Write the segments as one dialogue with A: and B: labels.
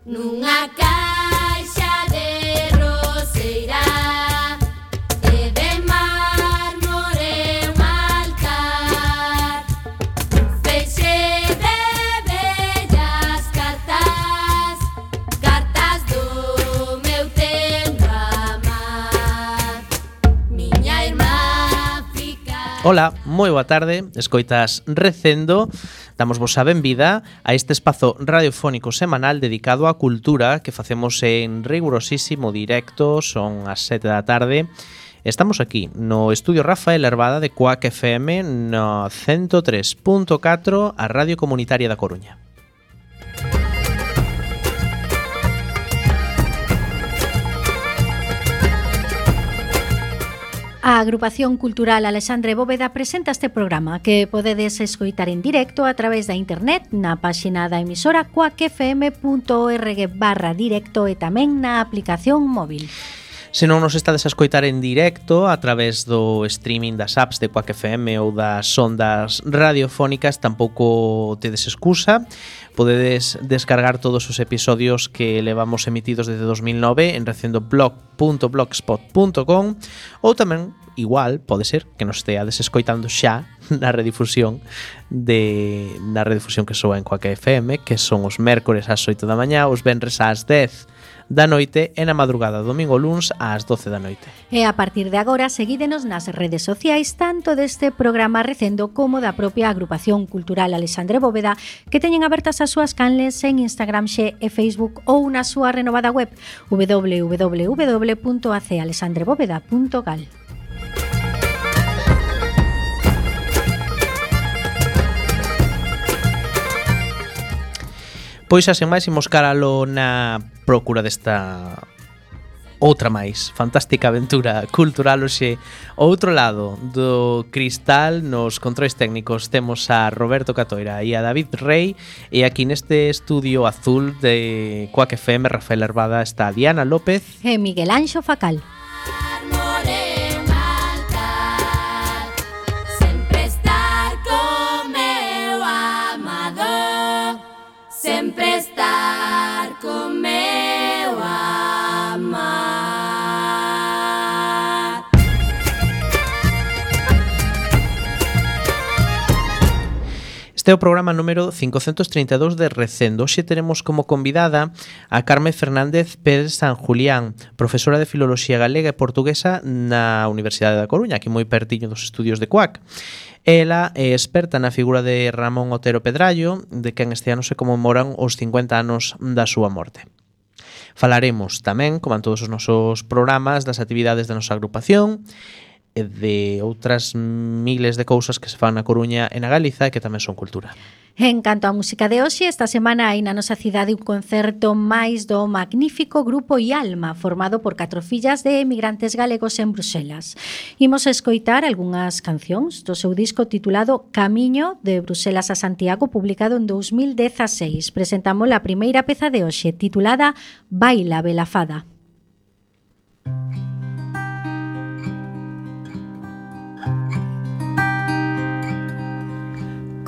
A: Nunha caixa de roseira e de mármore un altar, feixe de bellas cartas, cartas do meu tendo amar. Miña irmá fica...
B: Ola, moi boa tarde, escoitas Recendo. Damosvos a benvida a este espazo radiofónico semanal dedicado á cultura que facemos en rigurosísimo directo, son as 7 da tarde. Estamos aquí no estudio Rafael Herbada de Cuac FM no 103.4, a Radio Comunitaria da Coruña.
C: A Agrupación Cultural Alexandre Bóveda presenta este programa que podedes escoitar en directo a través da internet na páxina da emisora cuacfm.org/directo e tamén na aplicación móvil.
B: Se non nos estades a escoitar en directo a través do streaming das apps de Cuac FM ou das ondas radiofónicas, tampouco tedes excusa. Podedes descargar todos os episodios que levamos emitidos desde 2009 en recendoblog.blogspot.com ou tamén, igual, pode ser que nos esteades escoitando xa na redifusión que soa en Cuac FM, que son os mércores ás 8 da mañá, os venres ás 10 da noite e na madrugada domingo luns ás 12 da noite.
C: E a partir de agora seguídenos nas redes sociais tanto deste programa Recendo como da propia Agrupación Cultural Alexandre Bóveda, que teñen abertas as súas canles en Instagram xe e Facebook ou na súa renovada web www.acalexandrebóveda.gal.
B: Pois xa sen máis imos caralo na procura desta outra máis fantástica aventura cultural. Hoxe, ao outro lado do cristal, nos controis técnicos temos a Roberto Catoira e a David Rey, e aquí neste estudio azul de Cuac FM Rafael Herbada está Diana López
C: e Miguel Anxo Facal.
A: Sempre estar con meu amar.
B: Este é o programa número 532 de Recendo. Hoxe teremos como convidada a Carme Fernández Pérez San Julián, profesora de Filoloxía Galega e Portuguesa na Universidade da Coruña, aquí moi pertiño dos estudios de Cuac. Ela é experta na figura de Ramón Otero Pedrallo, de quen este ano se conmemoran os 50 anos da súa morte. Falaremos tamén, como en todos os nosos programas, das actividades da nosa agrupación e de outras miles de cousas que se fan na Coruña e na Galiza e que tamén son cultura.
C: En canto á música de hoxe, esta semana hai na nosa cidade un concerto máis do magnífico grupo Ialma, formado por 4 fillas de emigrantes galegos en Bruxelas. Imos escoitar algunhas cancións do seu disco titulado Camiño de Bruxelas a Santiago, publicado en 2016. Presentamos a primeira peza de hoxe, titulada Baila Belafada.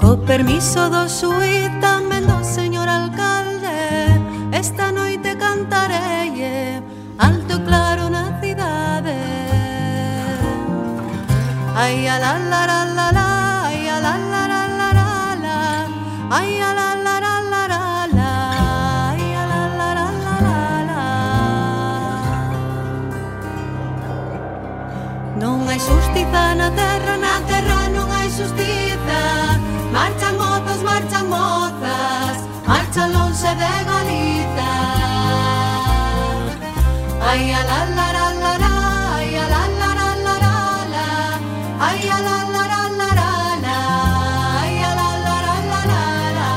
D: Co permiso do xuíz, tamén do señor alcalde, esta noite cantarei alto e claro na cidade. Ai a la la la la la, ai a la la la la la la, ai a la la la la la la, ai a la la la la la la. Non hai xustiza na terra non hai xustiza. Marchan mozas, marchan lonxe de Galiza. Ai a la la la la la, ai a la la la la la la, ai a la la la la la la, ai a la la la la la la.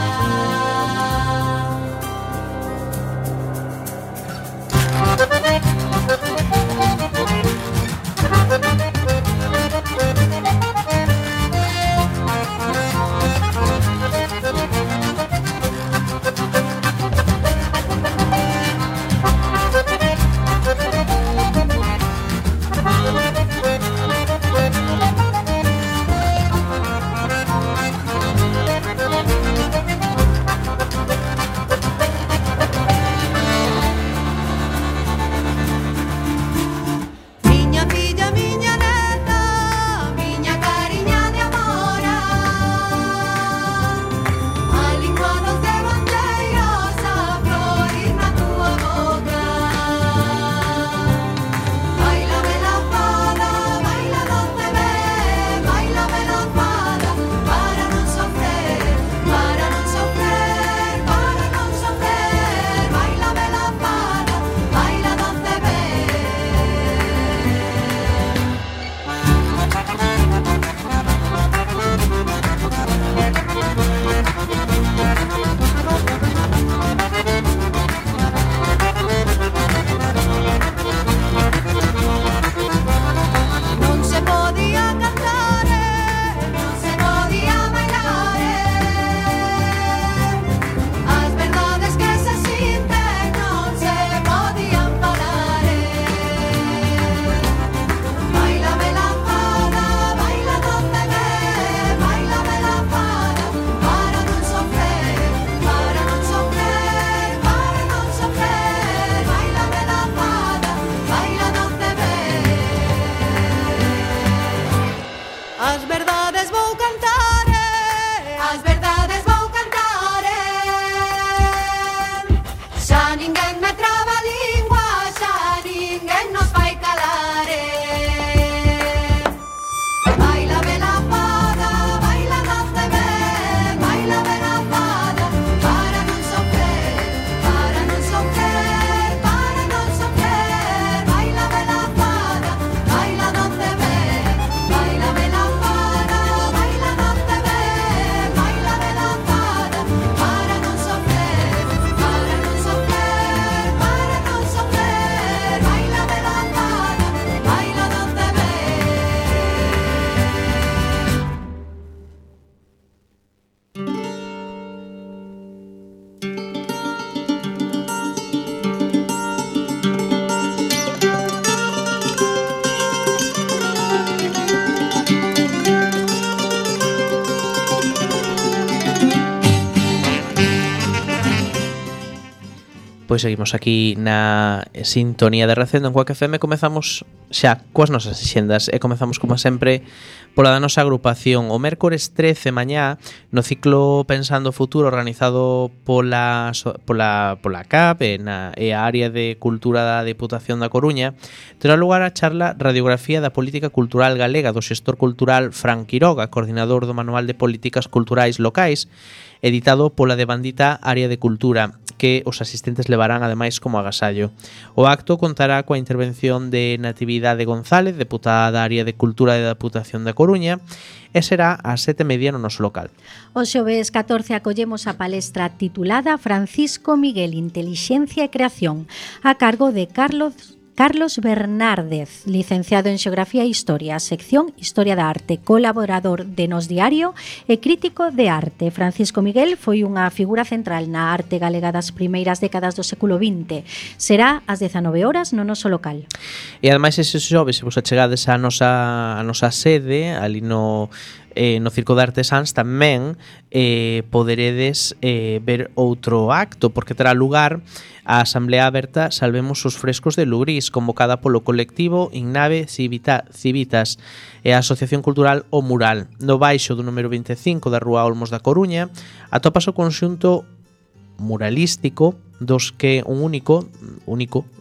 B: Pois seguimos aquí na sintonía de Recendo en Cuac FM. Comezamos xa coas nosas axendas e comezamos como sempre pola da nosa agrupación. O mércores 13 mañá no ciclo Pensando o Futuro organizado pola CAP e a área de cultura da Deputación da Coruña terá lugar a charla Radiografía da Política Cultural Galega do xestor cultural Fran Quiroga, coordinador do Manual de Políticas Culturais Locais, editado pola devandita Área de Cultura, que os asistentes levarán ademais como agasallo. O acto contará coa intervención de Natividade González, deputada da Área de Cultura da Deputación da Coruña, e será ás 7:30 no noso local.
C: O xoves 14 acollemos a palestra titulada Francisco Miguel, Intelixencia e Creación, a cargo de Carlos Bernárdez, licenciado en Xeografía e Historia, sección Historia da Arte, colaborador de Nos Diario e crítico de arte. Francisco Miguel foi unha figura central na arte galega das primeiras décadas do século XX. Será ás 19 horas no noso local.
B: E ademais ese xoves, se vos achegades a nosa sede, ali no Circo de Artesáns, tamén poderedes ver outro acto, porque terá lugar a Asamblea Aberta Salvemos os Frescos de Lugrís, convocada polo colectivo Innave Civitas e a Asociación Cultural O Mural. No baixo do número 25 da Rúa Olmos da Coruña atopas o conxunto muralístico dos que un único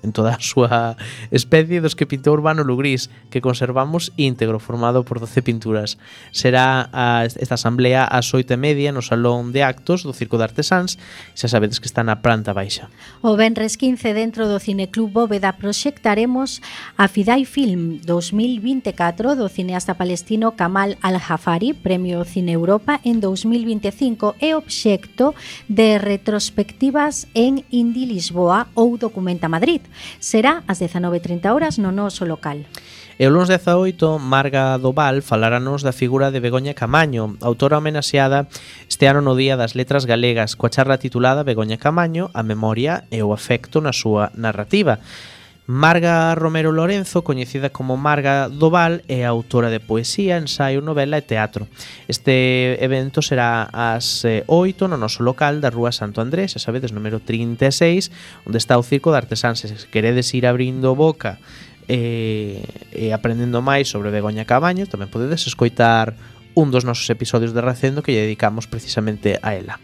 B: en toda a súa especie, dos que pintou Urbano Lugrís, que conservamos íntegro, formado por 12 pinturas. Será esta asamblea ás 8:30 no Salón de Actos do Circo de Artesáns, xa sabedes que está na planta baixa.
C: O venres 15 dentro do Cineclub Bóveda proxectaremos a Fidai Film 2024 do cineasta palestino Kamal Al-Jafari, Premio Cine Europa en 2025 e obxecto de retrospectivas en Indi Lisboa ou Documenta Madrid. Será ás 19:30 horas no noso local.
B: E o lunes 18, Marga Doval faláranos da figura de Begoña Camaño, autora homenaxeada este ano no Día das Letras Galegas, coa charla titulada Begoña Camaño, a memoria e o afecto na súa narrativa. Marga Romero Lorenzo, coñecida como Marga Doval, é autora de poesía, ensaio, novela e teatro. Este evento será ás 8 no noso local da Rúa Santo Andrés, xa sabedes, número 36, onde está o Circo de Artesáns. Se queredes ir abrindo boca e aprendendo máis sobre Begoña Camaño, tamén podedes escoitar un dos nosos episodios de Recendo que lle dedicamos precisamente a ela.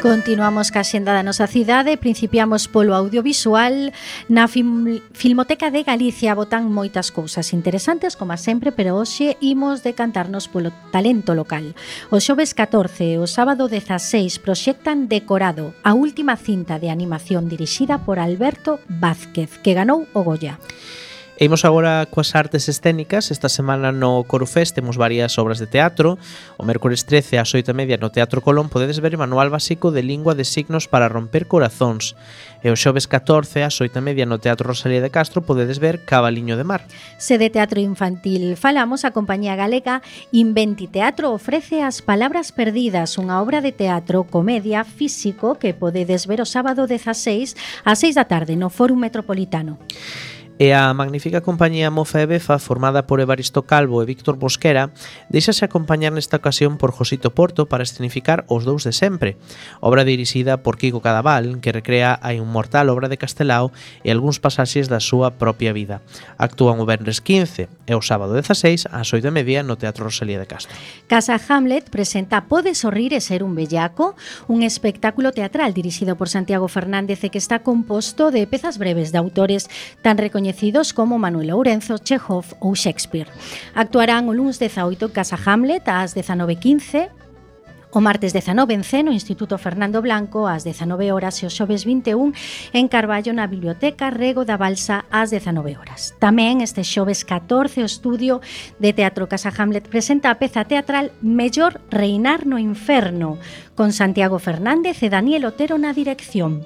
C: Continuamos ca xenda da nosa cidade, principiamos polo audiovisual. Na Filmoteca de Galicia botan moitas cousas interesantes, como sempre, pero hoxe imos decantarnos polo talento local. O xoves 14 e o sábado 16 proxectan Decorado, a última cinta de animación dirixida por Alberto Vázquez, que ganou o Goya.
B: E imos agora coas artes escénicas. Esta semana no Corufest temos varias obras de teatro. O mércores 13 ás 8:30 no Teatro Colón podedes ver o Manual Básico de Lingua de Signos para Romper Corazóns. E o xoves 14 ás 8:30 no Teatro Rosalía de Castro podedes ver Cabaliño de Mar.
C: Se de teatro infantil falamos, a compañía galega Inventi Teatro ofrece As Palabras Perdidas, unha obra de teatro comedia físico que podedes ver o sábado 16 ás 6 da tarde no Fórum Metropolitano.
B: E a magnífica compañía Mofa e Befa, formada por Evaristo Calvo e Víctor Bosquera, deixase acompañar nesta ocasión por Josito Porto para escenificar Os Dous de Sempre, obra dirixida por Kiko Cadaval, que recrea a inmortal obra de Castelao e algúns pasaxes da súa propia vida. Actúan o venres 15 e o sábado 16 ás 8:30 no Teatro Rosalía de Castro.
C: Casa Hamlet presenta Pode sorrir e ser un bellaco, un espectáculo teatral dirixido por Santiago Fernández e que está composto de pezas breves de autores tan recoñecidos como Manuel Lourenzo, Chekhov ou Shakespeare. Actuarán o lunes 18 en Casa Hamlet ás 19:15, o martes 19 en Ceno, Instituto Fernando Blanco ás 19 horas e o xoves 21 en Carballo na Biblioteca Rego da Balsa ás 19 horas. Tamén este xoves 14 o estudio de Teatro Casa Hamlet presenta a peza teatral Mellor reinar no inferno, con Santiago Fernández e Daniel Otero na dirección.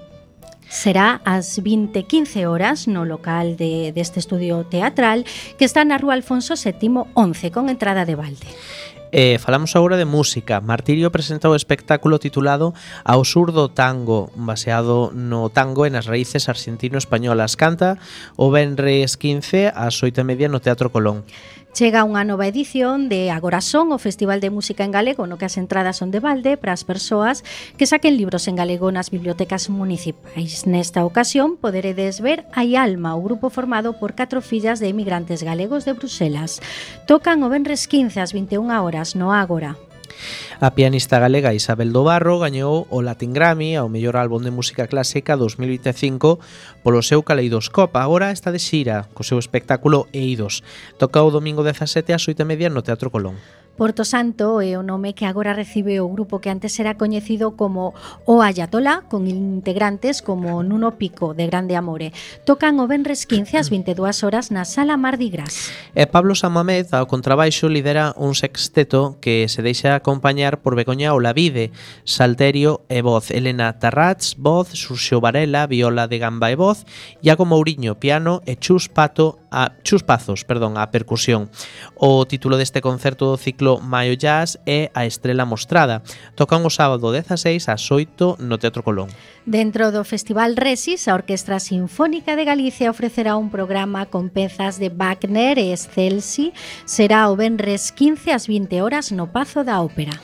C: Será ás 20:15 horas no local deste estudio teatral que está na Rúa Alfonso VII 11 con entrada de balde.
B: Falamos agora de música. Martirio presenta o espectáculo titulado Ao sur do tango, baseado no tango e nas raíces argentino-españolas. Canta o venres 15 ás 8:30 no Teatro Colón.
C: Chega unha nova edición de Agora Son, o Festival de Música en Galego, no que as entradas son de balde para as persoas que saquen libros en galego nas bibliotecas municipais. Nesta ocasión poderedes ver Hai Alma, o grupo formado por 4 fillas de emigrantes galegos de Bruselas. Tocan o venres 15 ás 21 horas no Ágora.
B: A pianista galega Isabel do Barro gañou o Latin Grammy ao mellor álbum de música clásica 2025 polo seu Caleidoscope. Agora está de xira co seu espectáculo Eidos. Toca o domingo 17 ás 8:30 no Teatro Colón.
C: Porto Santo é o nome que agora recibe o grupo que antes era coñecido como O Ayatolá, con integrantes como Nuno Pico, de Grande Amore. Tocan o venres 15 ás 22 horas na Sala Mardi Gras.
B: E Pablo Samamed, ao contrabaixo, lidera un sexteto que se deixa acompañar por Begoña Olavide, salterio e voz, Elena Tarrats, voz, Xurxo Varela, viola de gamba e voz, Iago Mouriño, piano e Chus Pazos, a percusión. O título deste concerto do ciclo Maio Jazz é A Estrela Mostrada. Tocan o sábado 16 ás 8 no Teatro Colón.
C: Dentro do Festival Resis, a Orquestra Sinfónica de Galicia ofrecerá un programa con pezas de Wagner e Scelsi. Será o venres 15 ás 20 horas no Pazo da Ópera.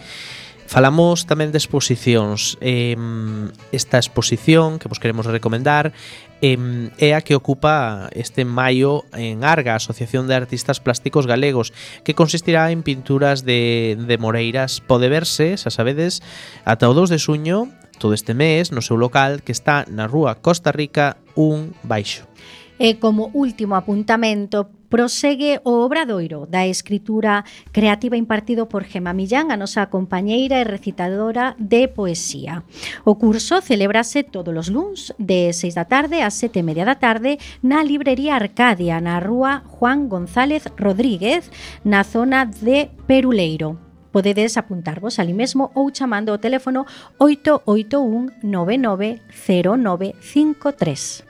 B: Falamos tamén de exposicións. Esta exposición que vos queremos recomendar é a que ocupa este maio en Arga, a Asociación de Artistas Plásticos Galegos, que consistirá en pinturas de Moreiras. Pode verse, xa sabedes, ata o 2 de xuño, todo este mes, no seu local, que está na rúa Costa Rica 1 baixo.
C: E como último apuntamento, prosegue o obradoiro da escritura creativa impartido por Gema Millán, a nosa compañeira e recitadora de poesía. O curso celébrase todos os luns de 6 da tarde a 7:30 da tarde na Librería Arcadia, na rúa Juan González Rodríguez, na zona de Peruleiro. Podedes apuntarvos ali mesmo ou chamando o teléfono 881 99 0953.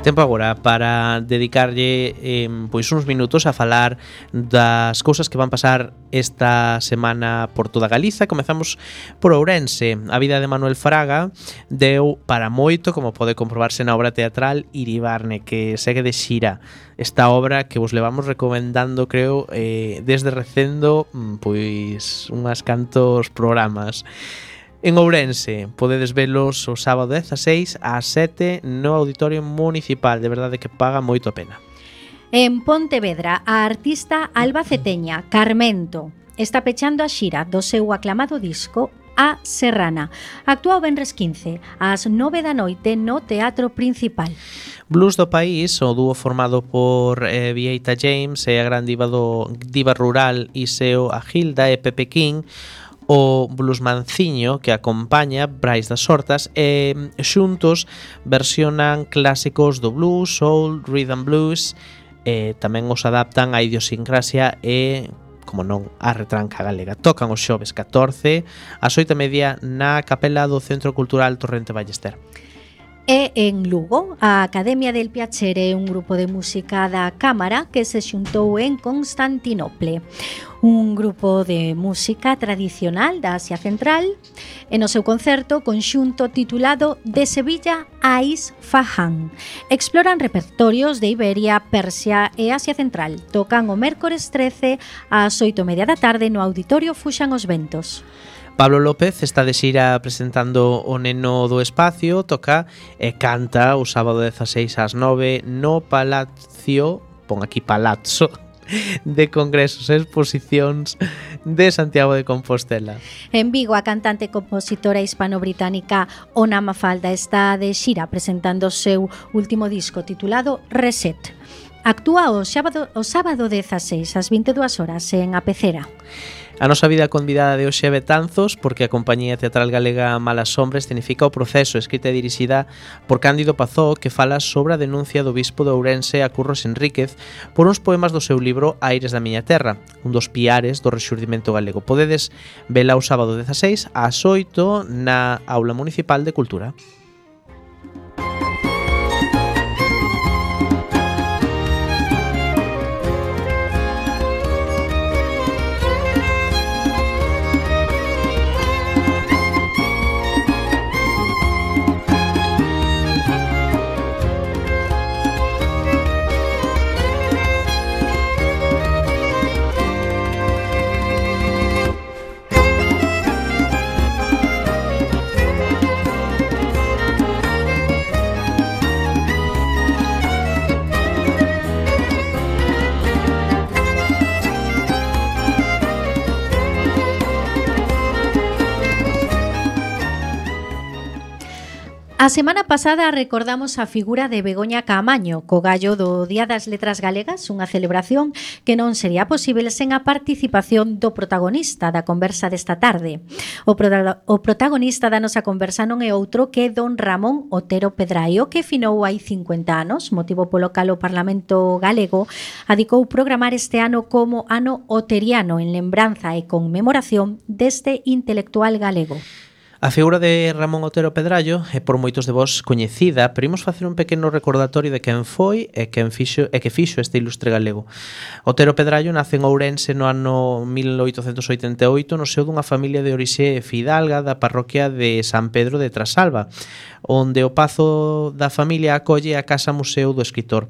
B: Tempo agora para dedicarlle pois uns minutos a falar das cousas que van pasar esta semana por toda Galiza. Comezamos por Ourense. A vida de Manuel Fraga deu para moito, como pode comprobarse na obra teatral Iribarne, que segue de xira. Esta obra que vos levamos recomendando, creo, desde recendo pois unhas cantos programas. En Ourense podedes velos o sábado 16 ás 7 no Auditorio Municipal. De verdade que paga moito a pena.
C: En Pontevedra, a artista albaceteña Carmento está pechando a xira do seu aclamado disco A Serrana. Actúa o venres 15 ás 9 da noite no Teatro Principal.
B: Blues do País, o dúo formado por Vieita James e a gran diva rural Iseo Agilda e Pepe King, o bluesmanciño que acompaña Brais das Hortas, e xuntos versionan clásicos do blues, soul, rhythm blues, e tamén os adaptan á idiosincrasia e, como non, a retranca galega. Tocan os xoves 14 ás 8:30 na capela do Centro Cultural Torrente Ballester.
C: E en Lugo, a Academia del Piacere é un grupo de música da Cámara que se xuntou en Constantinople. Un grupo de música tradicional da Asia Central, e no seu concerto conxunto titulado De Sevilla a Isfahan. Exploran repertorios de Iberia, Persia e Asia Central. Tocan o mércores 13 ás 8:30 da tarde no Auditorio Fuxan os Ventos.
B: Pablo López está de xira presentando O Neno do Espacio, toca e canta o sábado 16 ás 9 no Palacio, pon aquí Palazzo, de Congresos e Exposicións de Santiago de Compostela.
C: En Vigo, a cantante e compositora hispano-británica Ona Mafalda está de xira presentando o seu último disco titulado Reset. Actúa o sábado 16 ás 22 horas en A Pecera.
B: A nosa vida convidada de hoxe é Betanzos, porque a compañía teatral galega Malas Sombras escenifica o proceso, escrita e dirixida por Cándido Pazó, que fala sobre a denuncia do bispo de Ourense a Curros Enríquez por uns poemas do seu libro Aires da miña terra, un dos piares do rexurdimento galego. Podedes vela o sábado 16 ás 8 na Aula Municipal de Cultura.
C: A semana pasada recordamos a figura de Begoña Caamaño, co gallo do Día das Letras Galegas, unha celebración que non sería posible sen a participación do protagonista da conversa desta tarde. O protagonista da nosa conversa non é outro que don Ramón Otero Pedraio, que finou hai 50 anos, motivo polo cal o Parlamento galego adicou programar este ano como Ano Oteriano en lembranza e conmemoración deste intelectual galego.
B: A figura de Ramón Otero Pedraio é por moitos de vós coñecida, pero imos facer un pequeno recordatorio de quen foi e que fixo este ilustre galego. Otero Pedraio nace en Ourense no ano 1888 no seo dunha familia de orixe fidalga da parroquia de San Pedro de Trasalba, onde o pazo da familia acolle a Casa Museo do Escritor.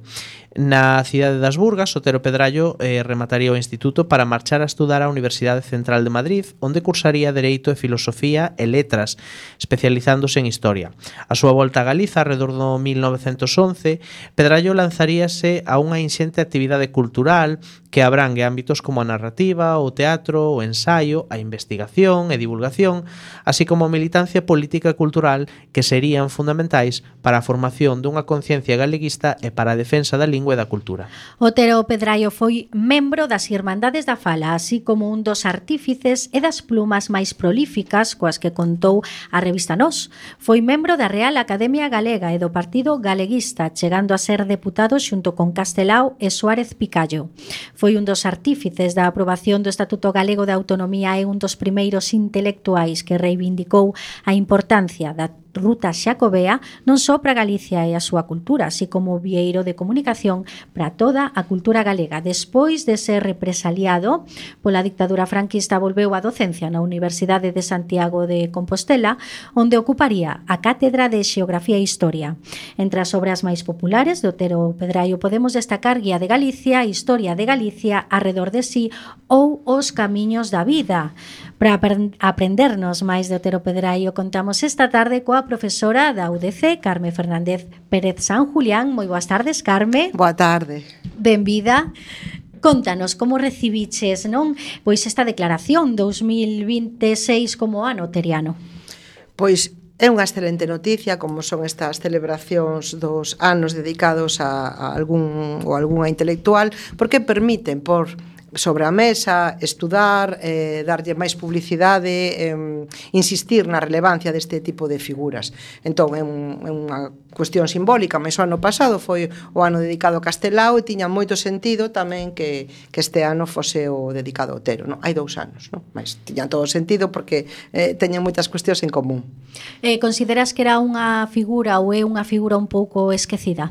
B: Na cidade das Burgas, Otero Pedraio remataría o instituto para marchar a estudar á Universidade Central de Madrid, onde cursaría Dereito e Filosofía e Letras, especializándose en Historia. A súa volta a Galiza, alrededor do 1911, Pedraio lanzaríase a unha inxente actividade cultural que abrangue ámbitos como a narrativa, o teatro, o ensaio, a investigación e divulgación, así como a militancia política e cultural que serían fundamentais para a formación dunha conciencia galeguista e para a defensa da lingua e da cultura.
C: Otero Pedraio foi membro das Irmandades da Fala, así como un dos artífices e das plumas máis prolíficas coas que contou a revista Nós. Foi membro da Real Academia Galega e do Partido Galeguista, chegando a ser deputado xunto con Castelao e Suárez Picallo. Foi un dos artífices da aprobación do Estatuto Galego de Autonomía e un dos primeiros intelectuais que reivindicou a importancia da ruta xacobea non só para Galicia e a súa cultura, así como vieiro de comunicación para toda a cultura galega. Despois de ser represaliado pola dictadura franquista, volveu á docencia na Universidade de Santiago de Compostela, onde ocuparía a cátedra de Xeografía e Historia. Entre as obras máis populares de Otero Pedraio podemos destacar Guía de Galicia, Historia de Galicia, Arredor de sí ou Os Camiños da Vida. Para aprendernos máis de Otero Pedraio, contamos esta tarde coa profesora da UDC, Carme Fernández Pérez San Julián. Moi boas tardes, Carme.
E: Boa tarde.
C: Benvida. Contanos como recibiches, non, pois esta declaración 2026 como ano oteriano.
E: Pois é unha excelente noticia, como son estas celebracións dos anos dedicados a algún ou algunha intelectual, porque permiten por sobre a mesa, estudar, darlle máis publicidade, insistir na relevancia deste tipo de figuras. Entón, é unha cuestión simbólica, mas o ano pasado foi o ano dedicado a Castelao e tiña moito sentido tamén que este ano fose o dedicado a Otero. Non? Hai 2 anos, non? Mas tiña todo sentido porque teñen moitas cuestións en común.
C: Consideras que era unha figura ou é unha figura un pouco esquecida?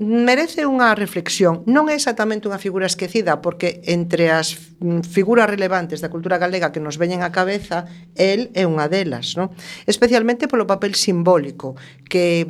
E: Merece unha reflexión. Non é exactamente unha figura esquecida, porque entre as figuras relevantes da cultura galega que nos veñen á cabeza, el é unha delas, non? Especialmente polo papel simbólico que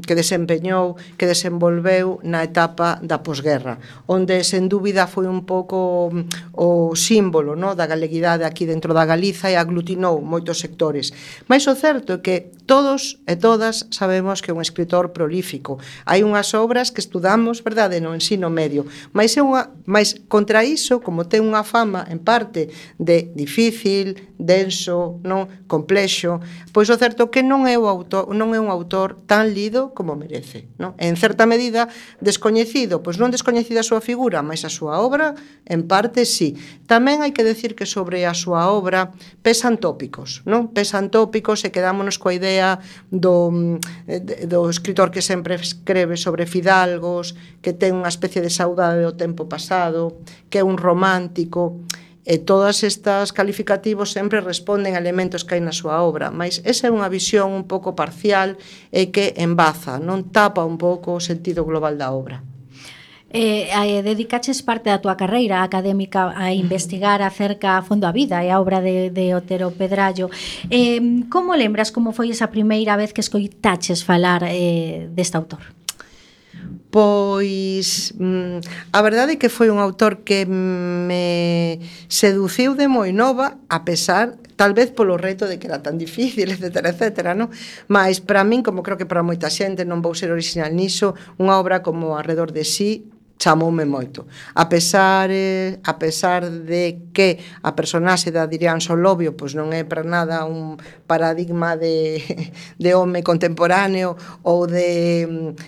E: desempeñou, que desenvolveu na etapa da posguerra, onde sen dúbida foi un pouco o símbolo, non, da galeguidade aquí dentro da Galiza e aglutinou moitos sectores. Mais o certo é que todos e todas sabemos que é un escritor prolífico, magnífico. Hai unhas obras que estudamos, verdade, no ensino medio, mas contra iso, como ten unha fama en parte de difícil, denso, non complexo, pois o certo que non é un autor tan lido como merece, non? En certa medida descoñecido, pois non descoñecida a súa figura, mas a súa obra en parte sí. Tamén hai que decir que sobre a súa obra pesan tópicos, non? Pesan tópicos e quedámonos coa idea do escritor que sempre escreve sobre fidalgos, que ten unha especie de saudade do tempo pasado, que é un romántico, e todos estes calificativos sempre responden a elementos que hai na súa obra, mas esa é unha visión un pouco parcial e que embaza, non tapa un pouco o sentido global da obra.
C: Dedicaches parte da túa carreira académica a investigar acerca a fondo a vida e a obra de Otero Pedrallo. Como lembras como foi esa primeira vez que escoitaches falar deste autor?
E: Pois a verdade é que foi un autor que me seduciu de moi nova, a pesar tal vez polo reto de que era tan difícil, etcétera, etcétera, non? Mas para min, como creo que para moita xente, non vou ser original niso, unha obra como Arredor de sí chamoume moito. A pesar de que a personaxe da Adrián Solovio pois non é para nada un paradigma de home contemporáneo ou de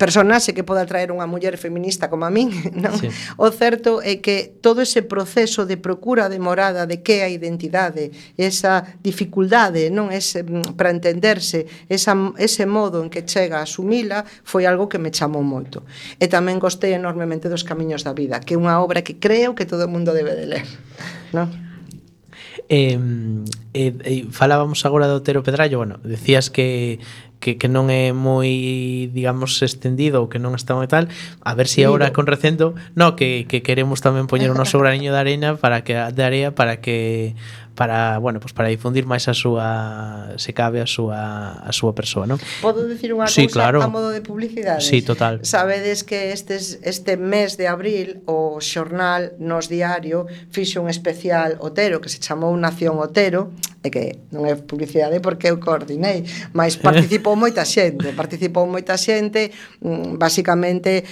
E: personaxe que poda traer unha muller feminista como a min, non? Sí. O certo é que todo ese proceso de procura demorada de que a identidade, esa dificultade, non, para entenderse, ese modo en que chega a asumila, foi algo que me chamou moito. E tamén gostei enormemente dos Camiños da vida, que é unha obra que creo que todo o mundo debe de ler, non?
B: Falábamos agora do Otero Pedrallo, bueno, decías que non é moi, digamos, estendido ou que non está moi tal, a ver se agora con Recendo, no, que queremos tamén poñer o noso graniño de arena para bueno, pues para difundir máis a súa, se cabe a súa persoa, non?
E: Podo dicir unha cousa claro. A modo de publicidade?
B: Sí, total.
E: Sabedes que este mes de abril o xornal Nos Diario fixo un especial Otero que se chamou Nación Otero, e que non é publicidade porque eu coordinei, mas participou moita xente, basicamente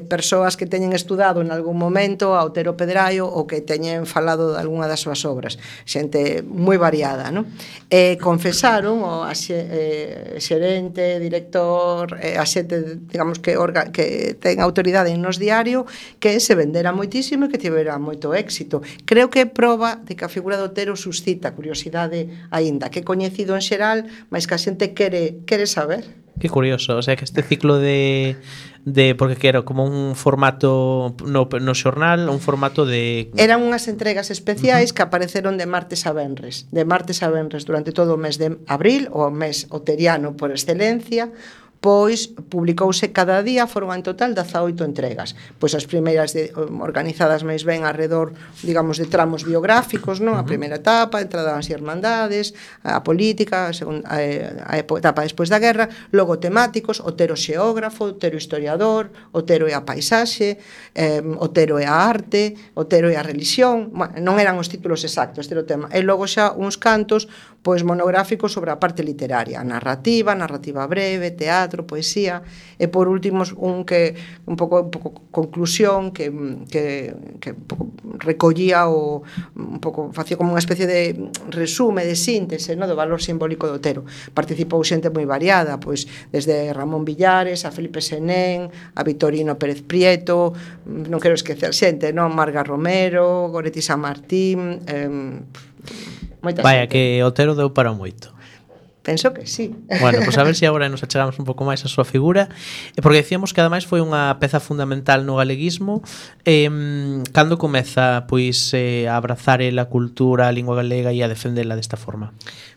E: persoas que teñen estudado en algún momento a Otero Pedrallo ou que teñen falado de algunha das súas obras, xente moi variada, non? Confesaron o xerente, director, a xente, digamos, que ten autoridade en Nos Diario, que se vendera moitísimo e que tivera moito éxito. Creo que é proba de que a figura do Otero suscita curiosidade aínda, que é coñecido en xeral, mas que a xente quere saber.
B: Que curioso, o sea que este ciclo de porque que era como un formato no xornal, un formato de...
E: Eran unhas entregas especiais que apareceron de martes a venres durante todo o mes de abril, o mes oteriano por excelencia. Pois publicouse cada día, foron en total 18 entregas. Pois as primeiras organizadas máis ben arredor, digamos, de tramos biográficos, non? A primeira etapa, a entrada nas irmandades, a política, a etapa despois da guerra, logo temáticos, Otero xeógrafo, Otero historiador, Otero e a paisaxe, Otero e a arte, Otero e a religión, bueno, non eran os títulos exactos, este era o tema. E logo xa uns cantos, pois monográficos sobre a parte literaria, narrativa breve, teatro, poesía, e por último un pouco conclusión que un pouco recollía un pouco facía como unha especie de resume, de síntese, no, do valor simbólico do Otero. Participou xente moi variada, pois desde Ramón Villares a Felipe Senén, a Vitorino Pérez Prieto, non quero esquecer xente, non, Marga Romero, Goretti San Martín,
B: vaya, que Otero deu para moito.
E: Penso que sí.
B: Bueno, pois a ver se agora nos achegamos un pouco máis a súa figura, porque decíamos que ademais foi unha peza fundamental no galeguismo. Cando comeza pois a abrazar a cultura, a lingua galega e a defendela desta forma?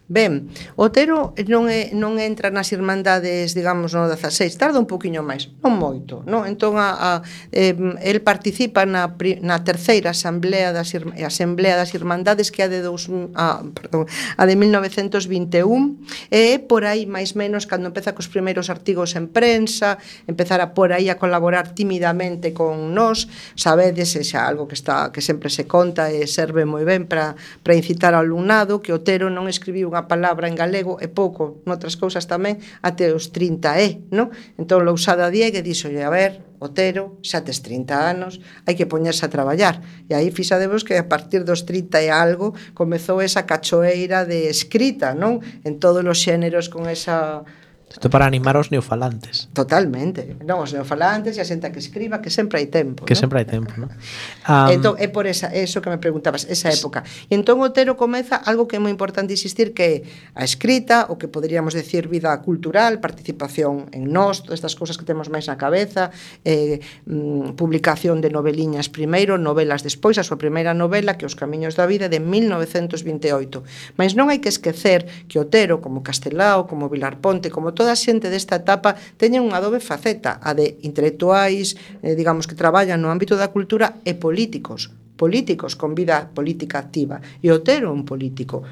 E: Ben, Otero non entra nas irmandades, digamos, no 16, tarda un poquinho máis, non moito, non? Entón, el participa na terceira asamblea das irmandades, que é a de 1921, e por aí, máis menos, cando empeza cos primeiros artigos en prensa, empezara por aí a colaborar tímidamente con nós, sabedes, xa algo que sempre se conta e serve moi ben para incitar ao alumnado, que Otero non escribiu unha unha palabra en galego e pouco, noutras cousas tamén, até os 30 non? Entón, Lousada Diéguez dixolle, a ver, Otero, xa tes 30 anos, hai que poñerse a traballar. E aí fixadevos que a partir dos 30 e algo comezou esa cachoeira de escrita, non? En todos os xéneros con esa...
B: Isto para animar aos neofalantes.
E: Totalmente. Non, os neofalantes e a xente que escriba, que sempre hai tempo.
B: Que
E: non?
B: sempre hai tempo, non?
E: Entón, é por eso que me preguntabas, esa época. E entón Otero comeza algo que é moi importante insistir, que é a escrita, o que poderíamos decir vida cultural, participación en nós, todas estas cousas que temos máis na cabeza, publicación de noveliñas primeiro, novelas despois, a súa primeira novela, que Os camiños da vida, de 1928. Mas non hai que esquecer que Otero, como Castelao, como Vilar Ponte, como toda a xente desta etapa, teñen unha dobre faceta, a de intelectuais, digamos, que traballan no ámbito da cultura, e políticos con vida política activa. E Otero é un político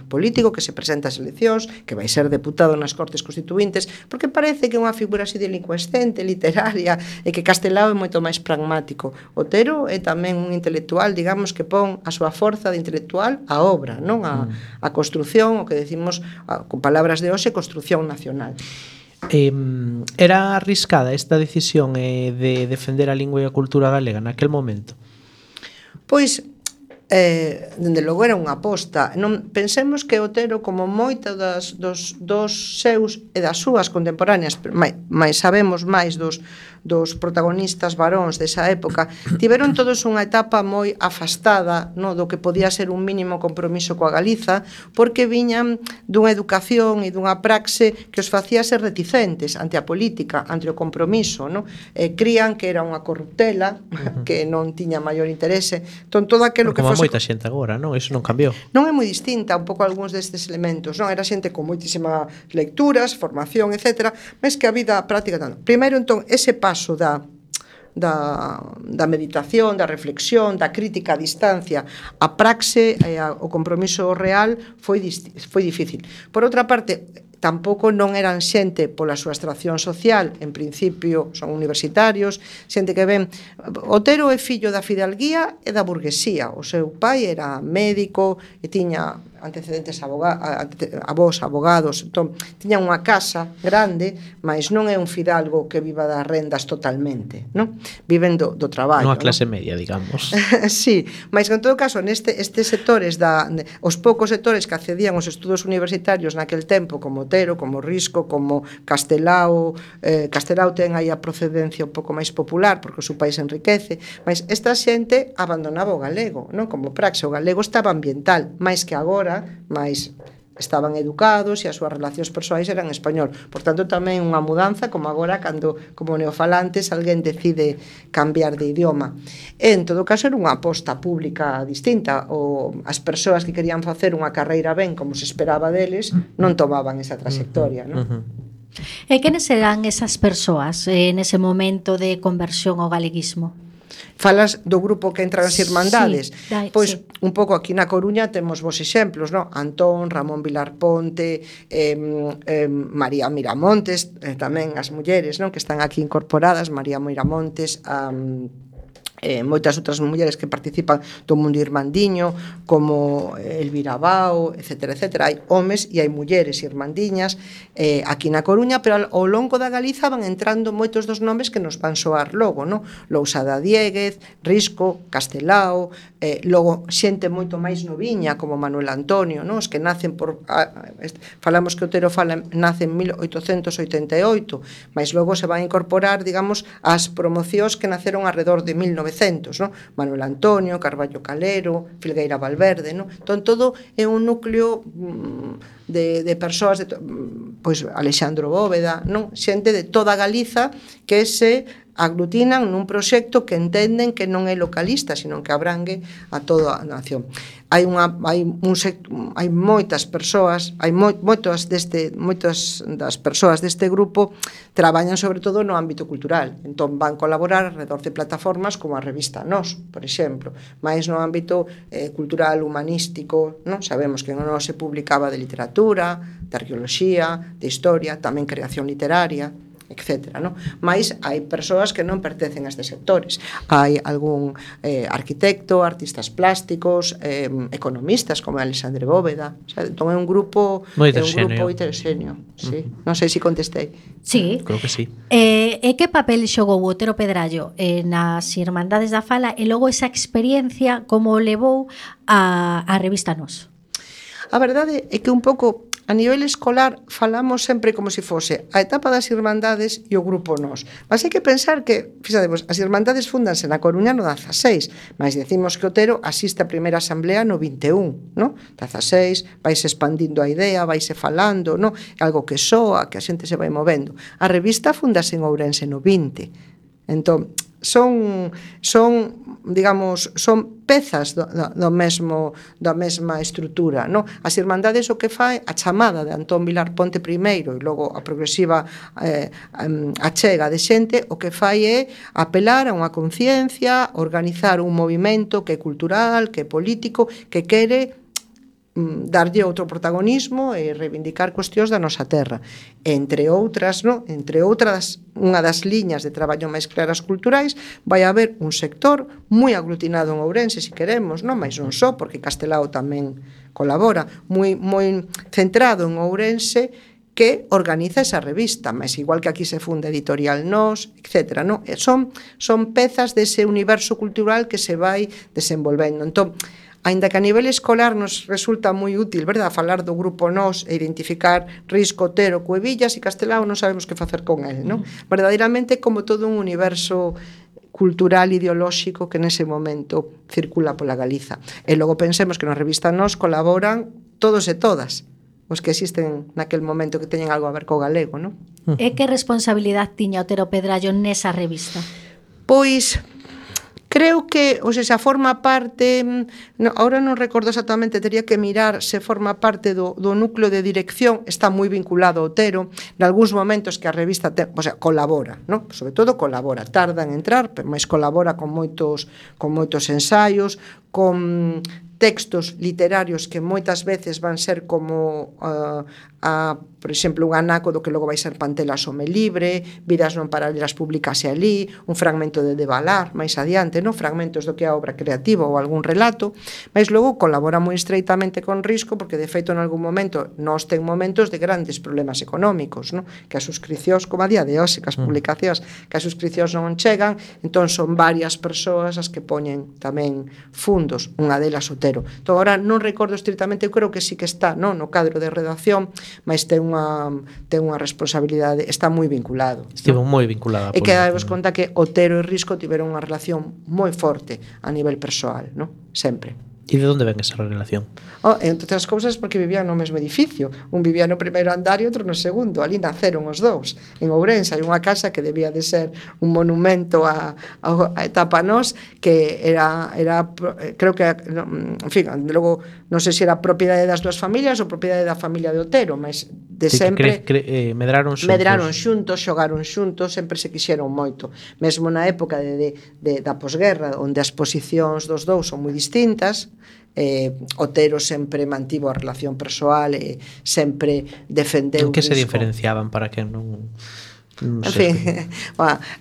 E: que se presenta ás eleccións, que vai ser deputado nas Cortes Constituintes, porque parece que é unha figura así delincuescente, literaria, e que Castelao é moito máis pragmático. Otero é tamén un intelectual, digamos, que pon a súa forza de intelectual á obra, non a construción, o que decimos con palabras de hoxe, construción nacional.
B: Era arriscada esta decisión de defender a lingua e a cultura galega naquel momento?
E: Pois, dende logo era unha aposta. Non pensemos que Otero, como moita dos seus e das súas contemporáneas, mais sabemos máis dos protagonistas varóns desa época, tiveron todos unha etapa moi afastada, no, do que podía ser un mínimo compromiso coa Galiza, porque viñan dunha educación e dunha praxe que os facía ser reticentes ante a política, ante o compromiso, no? Crían que era unha corruptela, que non tiña maior interese. Entón, todo aquilo que fose...
B: Como moita xente agora, non? Iso non cambiou.
E: Non é moi distinta un pouco algúns destes elementos, non? Era xente con moitísimas lecturas, formación, etc., mas que a vida práctica tanto. Primeiro, entón, ese paso da meditación, da reflexión, da crítica a distancia, a praxe e o compromiso real foi difícil. Por outra parte, tampouco non eran xente pola súa extracción social, en principio son universitarios, xente que ven... Otero é fillo da fidalguía e da burguesía. O seu pai era médico e tiña antecedentes avós, abogados, entón, tiña unha casa grande, mas non é un fidalgo que viva das rendas totalmente, non? Viven do traballo.
B: Non a clase media, digamos.
E: Sí, mas en todo caso, estes sectores, os poucos sectores que accedían aos estudos universitarios naquel tempo, como Otero, como Risco, como Castelao, Castelao ten aí a procedencia un pouco máis popular, porque o seu país enriquece, mas esta xente abandonaba o galego, non? Como praxe, o galego estaba ambiental, máis que agora, mais estaban educados e as súas relacións persoais eran en español. Por tanto, tamén unha mudanza, como agora, cando, como neofalantes, alguén decide cambiar de idioma. En todo caso, era unha aposta pública distinta. As persoas que querían facer unha carreira ben, como se esperaba deles, non tomaban esa trayectoria, non?
C: E quenes eran esas persoas nese momento de conversión ao galeguismo?
E: Falas do grupo que entra nas Irmandades.
C: Sí,
E: pois
C: sí.
E: Un pouco aquí na Coruña temos vos exemplos, non? Antón, Ramón Vilar Ponte, María Miramontes, tamén as mulleres, non? Que están aquí incorporadas, María Miramontes, moitas outras mulleres que participan do mundo irmandiño, como Elvira Bao, etc. Hai homes e hai mulleres irmandiñas aquí na Coruña, pero ao longo da Galiza van entrando moitos dos nomes que nos van soar logo, non? Lousada Diéguez, Risco, Castelao, logo xente moito máis noviña, como Manuel Antonio, non? Os que nacen falamos que Otero nace en 1888, mas logo se van a incorporar, digamos, as promocións que naceron alrededor de 1900, non? Manuel Antonio, Carballo Calero, Filgueira Valverde, non? Entón, todo é un núcleo de persoas, pois Alexandro Bóveda, non? Xente de toda Galiza que se aglutinan nun proxecto que entenden que non é localista, sino que abrangue a toda a nación. Hai moitas persoas, moitas das persoas deste grupo traballan sobre todo no ámbito cultural. Entón van colaborar alrededor de plataformas como a revista Nós, por exemplo, máis no ámbito cultural, humanístico, non? Sabemos que en Nós se publicaba de literatura, de arqueoloxía, de historia, tamén creación literaria. etcétera, non? Mais hai persoas que non pertencen a estes sectores. Hai algún arquitecto, artistas plásticos, economistas como Alexandre Bóveda, o sea, entón é un grupo heteroxéneo, sí. Non sei se contestei.
C: Sí.
B: Creo que sí.
C: E que papel xogou o Otero Pedrallo nas Irmandades da Fala e logo esa experiencia como o levou a revista Nós?
E: A verdade é que un pouco a nivel escolar falamos sempre como se fose a etapa das Irmandades e o grupo Nós. Mas hai que pensar que, fixadevos, as Irmandades fundanse na Coruña no 16, mas decimos que Otero asiste a primeira asamblea no 21, no? 16, vaise expandindo a idea, vaise falando, no? Algo que soa, que a xente se vai movendo. A revista fundase en Ourense no 20. Entón, son pezas da mesma estrutura, no? As Irmandades o que fai a chamada de Antón Vilar Ponte primeiro e logo a progresiva achega de xente, o que fai é apelar a unha conciencia, organizar un movimento que é cultural, que é político, que quere darlle outro protagonismo e reivindicar cuestións da nosa terra. Entre outras, no? Unha das liñas de traballo máis claras culturais, vai haber un sector moi aglutinado en Ourense, se queremos, non? Mais non só, porque Castelao tamén colabora, moi centrado en Ourense, que organiza esa revista, mas igual que aquí se funda Editorial Nós, etc. No? Son pezas dese universo cultural que se vai desenvolvendo. Entón, aínda que a nivel escolar nos resulta moi útil, verdad, falar do grupo Nós e identificar Risco, Otero, Cuevillas e Castelao, non sabemos que facer con el, non? Verdadeiramente como todo un universo cultural ideolóxico que nese momento circula pola Galiza. E logo pensemos que na revista Nós colaboran todos e todas os que existen naquel momento que teñen algo a ver co galego, non?
C: E que responsabilidade tiña Otero Pedrallo nesa revista?
E: Pois creo que, ou sea, forma parte, ahora non recordo exactamente, tería que mirar se forma parte do núcleo de dirección, está moi vinculado ao Otero, nalgúns momentos que a revista colabora, non? Sobre todo colabora, tarda en entrar, mas colabora con moitos ensaios, con textos literarios que moitas veces van ser como por exemplo, un anaco do que logo vai ser Pantela Some Libre, Vidas non paralelas publicase ali, un fragmento de Balar máis adiante, non? Fragmentos do que é a obra creativa ou algún relato, mas logo colabora moi estreitamente con Risco, porque de feito en algún momento Nós ten momentos de grandes problemas económicos, non? Que as suscripcións, como a día de hoxe, que as publicacións, que as suscripcións non chegan, entón son varias persoas as que poñen tamén fundos, unha delas Otero. Entón, agora non recordo estritamente, eu creo que sí que está, non? No cadro de redacción, mas ten unha responsabilidade, está moi vinculado.
B: Estivo moi vinculada.
E: E que daos conta que Otero e Risco tiveron unha relación moi forte a nivel persoal, non? Sempre.
B: E de onde ven esa relación?
E: Entre outras cousas porque vivían no mesmo edificio. Un vivía no primeiro andar e outro no segundo. Ali naceron os dous. En Ourense hai unha casa que debía de ser un monumento a etapa Nós, que era creo que, en fin, logo non sei se era propiedade das dúas familias ou propiedade da familia de Otero, mas de sempre
B: medraron
E: xuntos, xogaron xuntos, sempre se quixeron moito. Mesmo na época da posguerra, onde as posicións dos dous son moi distintas, Otero sempre mantivo a relación persoal e sempre defendeu.
B: En que se diferenciaban para que non
E: en fin,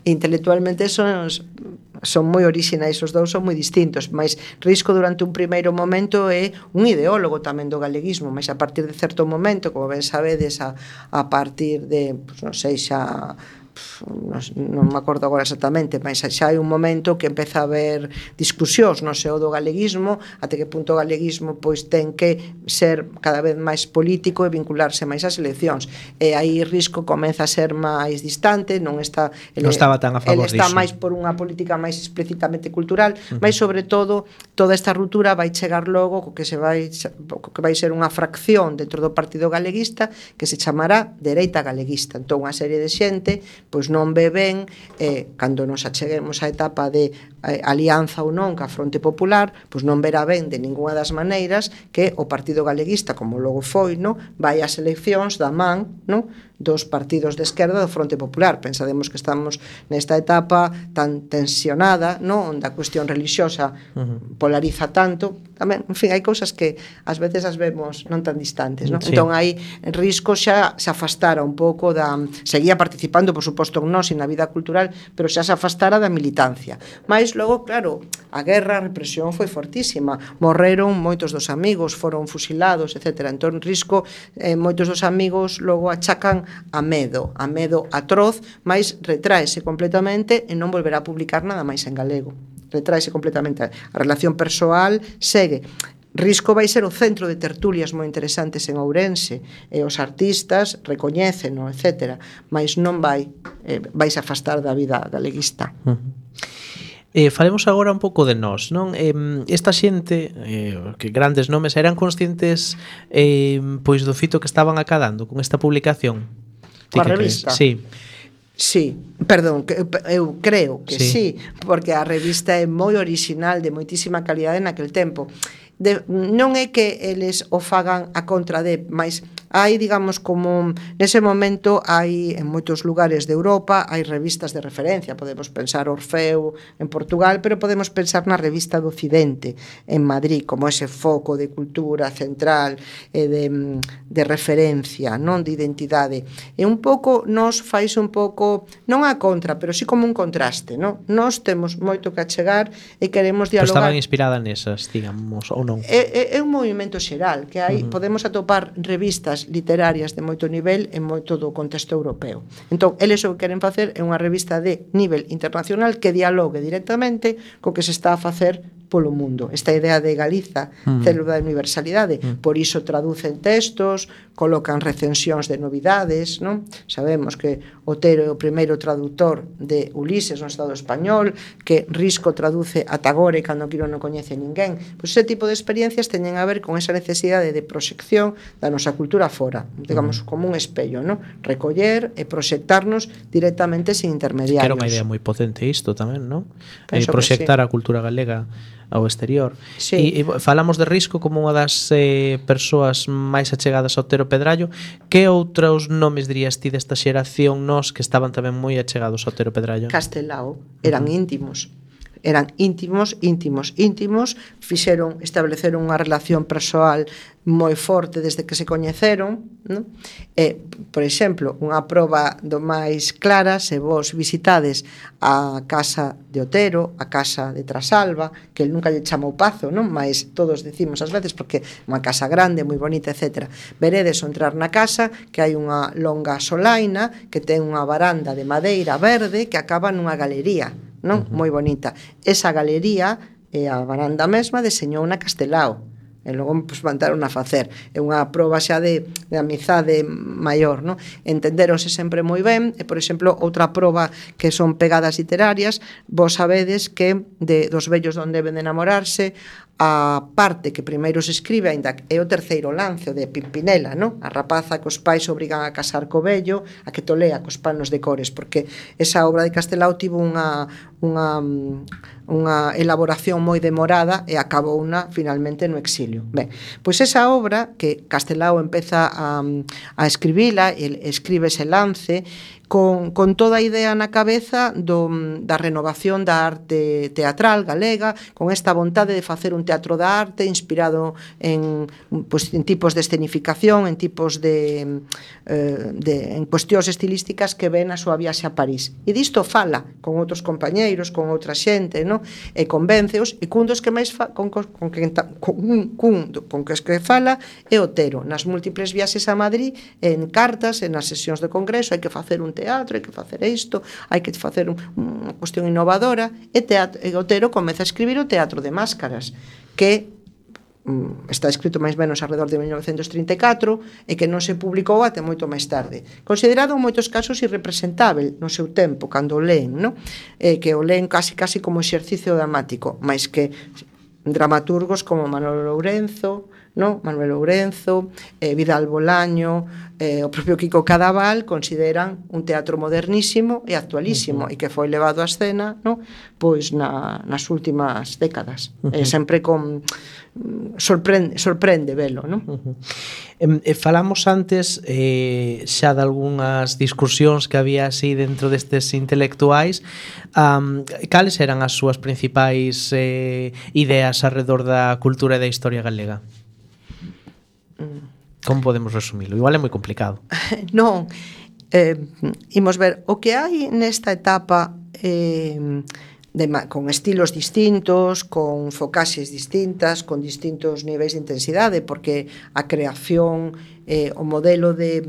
E: intelectualmente son moi orixinais, os dous son moi distintos, mas Risco durante un primeiro momento é un ideólogo tamén do galeguismo, mas a partir de certo momento, como ben sabedes, a partir de, non sei, xa non me acordo agora exactamente, mas xa hai un momento que empeza a haber discusións no seo do galeguismo, até que punto o galeguismo pois ten que ser cada vez máis político e vincularse máis ás eleccións, e aí Risco comeza a ser máis distante, non estaba tan a favor disso. Ele está máis por unha política máis explícitamente cultural, mas sobre todo toda esta ruptura vai chegar logo co que vai ser unha fracción dentro do Partido Galeguista que se chamará Dereita Galeguista. Entón unha serie de xente pois non ve ben, cando nos acheguemos á etapa de alianza ou non ca Fronte Popular, pois non verá ben de ninguna das maneiras que o Partido Galeguista, como logo foi, no, vai ás eleccións da man, no, dos partidos de esquerda do Fronte Popular. Pensademos que estamos nesta etapa tan tensionada, no, onde a cuestión religiosa polariza tanto. Tamén, en fin, hai cousas que ás veces as vemos non tan distantes, no?
B: Sí.
E: Entón aí Risco xa se afastara un pouco da... Seguía participando, por suposto, en nós e na vida cultural, pero xa se afastara da militancia. Mais logo, claro, a guerra, a represión foi fortísima. Morreron moitos dos amigos, foron fusilados, etc. Entón Risco, moitos dos amigos logo achacan a medo atroz, mais retráese completamente e non volverá a publicar nada máis en galego. Retráese completamente. A relación persoal segue. Risco vai ser o centro de tertulias moi interesantes en Ourense, e os artistas recoñéceno, etc. Mas non vai se afastar da vida galeguista.
B: Falemos agora un pouco de nós, non? Esta xente, que grandes nomes, eran conscientes pois do fito que estaban acadando con esta publicación?
E: Coa revista?
B: Sí.
E: Sí, perdón, eu creo que sí, porque a revista é moi orixinal, de moitísima calidade naquel tempo. Non é que eles o fagan a contra de, mas hai, digamos, como nese momento hai en moitos lugares de Europa hai revistas de referencia, podemos pensar Orfeo en Portugal, pero podemos pensar na revista do Occidente en Madrid, como ese foco de cultura central e de referencia, non de identidade. E un pouco nos fais un pouco, non a contra, pero sí como un contraste, non? Nos temos moito que achegar e queremos dialogar.
B: Pero estaban inspiradas nesas, digamos, ou non?
E: É un movimento xeral que hai, podemos atopar revistas literarias de moito nivel en moito do contexto europeo. Entón, eles o que queren facer é unha revista de nivel internacional que dialogue directamente co que se está a facer polo mundo. Esta idea de Galiza, célula de universalidade, por iso traducen textos, colocan recensións de novidades, non? Sabemos que Otero é o primeiro traductor de Ulises no Estado español, que Risco traduce a Tagore cando Quiro non coñece ninguén. Pois ese tipo de experiencias teñen a ver con esa necesidade de proxección da nosa cultura fora, digamos, como un espello, non? Recoller e proxectarnos directamente sin intermediarios.
B: Que era unha idea moi potente isto tamén, non?
E: sí.
B: Proxectar a cultura galega ao exterior.
E: Sí.
B: E falamos de Risco como unha das persoas máis achegadas a Otero Pedrallo. Que outros nomes dirías ti desta xeración nos que estaban tamén moi achegados a Otero Pedrallo?
E: Castelao, eran íntimos. Eran íntimos, estableceron unha relación persoal moi forte desde que se coñeceron, non? Por exemplo, unha proba do máis clara, se vos visitades a casa de Otero, a casa de Trasalba, que el nunca lle chamou Pazo, non? Mas todos decimos ás veces porque é unha casa grande, moi bonita, etc. Veredes ao entrar na casa que hai unha longa solaina que ten unha varanda de madeira verde que acaba nunha galería, non? Moi bonita. Esa galería e a varanda mesma deseñou na Castelao. E logo pues, mandaron a facer. É unha proba xa de amizade maior, non? Entenderonse sempre moi ben. E, por exemplo, outra proba que son pegadas literarias, vos sabedes que dos vellos donde deben de enamorarse, a parte que primeiro se escribe, aínda é o terceiro lance, o de Pimpinela, non? A rapaza que os pais obrigan a casar co vello, a que tolea cos panos de cores, porque esa obra de Castelao tivo unha elaboración moi demorada e acabouna finalmente no exilio. Ben, pois esa obra que Castelao empeza a escribila, escribe ese lance con toda a idea na cabeza da renovación da arte teatral galega, con esta vontade de facer un teatro da arte inspirado en tipos de escenificación, en tipos en cuestións estilísticas que ven a súa viaxe a París. E disto fala con outros compañeiros, con outra xente, no? E convénceos, e cun dos que máis con que fala é Otero, nas múltiples viaxes a Madrid, en cartas, en as sesións de congreso, hai que facer un teatro, hai que facer isto, hai que facer unha cuestión innovadora, e Otero comeza a escribir o Teatro de Máscaras, que está escrito máis menos alrededor de 1934 e que non se publicou até moito máis tarde. Considerado en moitos casos irrepresentável no seu tempo, cando o leen, no? Que o leen casi como exercicio dramático, máis que dramaturgos como Manolo Lourenzo, no? Manuel Lourenzo, Vidal Bolaño, o propio Kiko Cadaval consideran un teatro modernísimo e actualísimo e que foi levado á escena, no? Pois nas últimas décadas. Sempre con sorprende velo, no?
B: Falamos antes xa de algunhas discusións que había así dentro destes intelectuais. Cales eran as súas principais ideas alrededor da cultura e da historia galega? Como podemos resumilo? Igual é moi complicado.
E: Non, imos ver o que hai nesta etapa con estilos distintos, con focaxes distintas, con distintos niveis de intensidade, porque a creación, o modelo de,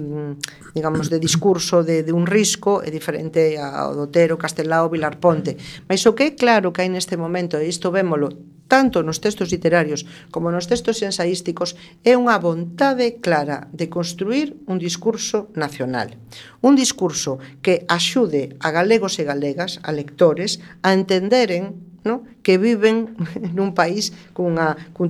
E: digamos, de discurso de un risco é diferente ao do Otero, Castelao, Vilar Ponte. Mas o que é claro que hai neste momento, e isto vémolo tanto nos textos literarios como nos textos ensaísticos, é unha vontade clara de construir un discurso nacional. Un discurso que axude a galegos e galegas, a lectores, a entenderen, no? Que viven nun país cun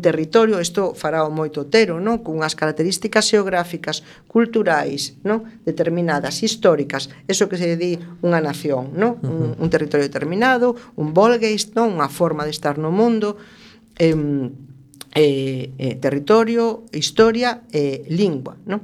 E: territorio, isto fará o moito Otero, no? Cunhas características xeográficas, culturais, no? Determinadas, históricas, eso que se di unha nación, no? Un territorio determinado, un Volgeist, no? Unha forma de estar no mundo, territorio, historia e lingua, no?